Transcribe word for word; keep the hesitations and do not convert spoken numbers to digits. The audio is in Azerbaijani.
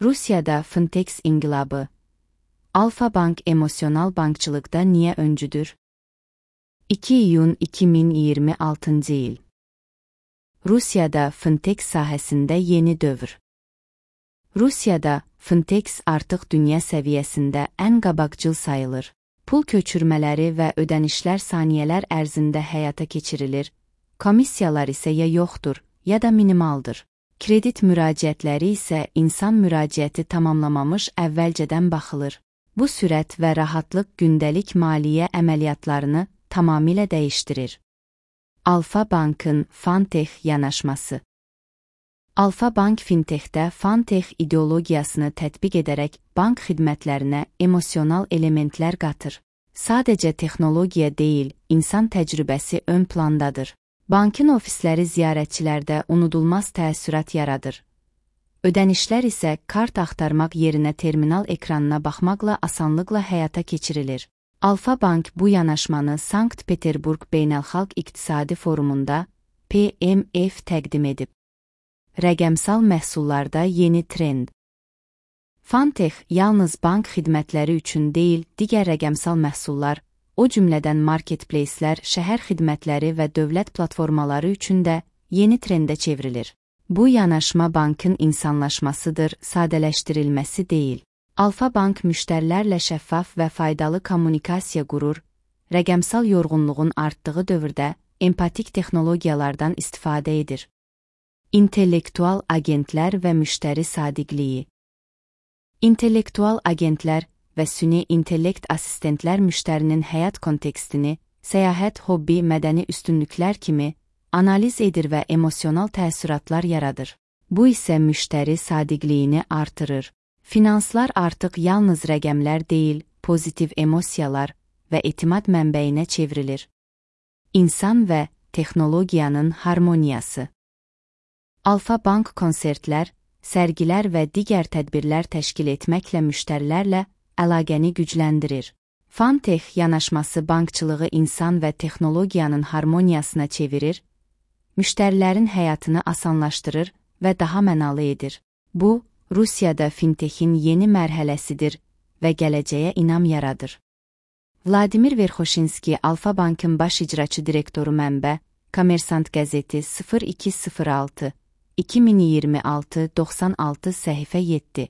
Rusiyada Fintech inqilabı. Alfa Bank emosional bankçılıqda niyə öncüdür? iki iyun iki min iyirmi altıncı il. Rusiyada Fintech sahəsində yeni dövr. Rusiyada Fintech artıq dünya səviyyəsində ən qabaqcıl sayılır. Pul köçürmələri və ödənişlər saniyələr ərzində həyata keçirilir, komissiyalar isə ya yoxdur, ya da minimaldır. Kredit müraciətləri isə insan müraciəti tamamlamamış əvvəlcədən baxılır. Bu sürət və rahatlıq gündəlik maliyyə əməliyyatlarını tamamilə dəyişdirir. Alfa Bankın Fintech yanaşması. Alfa Bank Fintechdə Fintech ideologiyasını tətbiq edərək bank xidmətlərinə emosional elementlər qatır. Sadəcə texnologiya deyil, insan təcrübəsi ön plandadır. Bankın ofisləri ziyarətçilərdə unudulmaz təəssürat yaradır. Ödənişlər isə kart axtarmaq yerinə terminal ekranına baxmaqla asanlıqla həyata keçirilir. Alfa Bank bu yanaşmanı Sankt-Peterburq Beynəlxalq İqtisadi Forumunda P M F təqdim edib. Rəqəmsal məhsullarda yeni trend. Fintech yalnız bank xidmətləri üçün deyil, digər rəqəmsal məhsullar, o cümlədən marketplacelər, şəhər xidmətləri və dövlət platformaları üçün də yeni trendə çevrilir. Bu yanaşma bankın insanlaşmasıdır, sadələşdirilməsi deyil. Alfa Bank müştərilərlə şəffaf və faydalı kommunikasiya qurur, rəqəmsal yorğunluğun artdığı dövrdə empatik texnologiyalardan istifadə edir. İntellektual agentlər və müştəri sadiqliyi. İntellektual agentlər və süni intellekt assistentlər müştərinin həyat kontekstini, səyahət, hobbi, mədəni üstünlüklər kimi analiz edir və emosional təəssüratlar yaradır. Bu isə müştəri sadiqliyini artırır. Finanslar artıq yalnız rəqəmlər deyil, pozitiv emosiyalar və etimad mənbəyinə çevrilir. İnsan və texnologiyanın harmoniyası. Alfa Bank konsertlər, sərgilər və digər tədbirlər təşkil etməklə müştərilərlə əlaqəni gücləndirir. Fintech yanaşması bankçılığı insan və texnologiyanın harmoniyasına çevirir, müştərilərin həyatını asanlaşdırır və daha mənalı edir. Bu, Rusiyada Fintechin yeni mərhələsidir və gələcəyə inam yaradır. Vladimir Verxoşinski, Alfa Bankın baş icraçı direktoru. Mənbə, Kommersant qəzeti sıfır iki sıfır altı iki min iyirmi altı doxsan altı səhifə yeddi.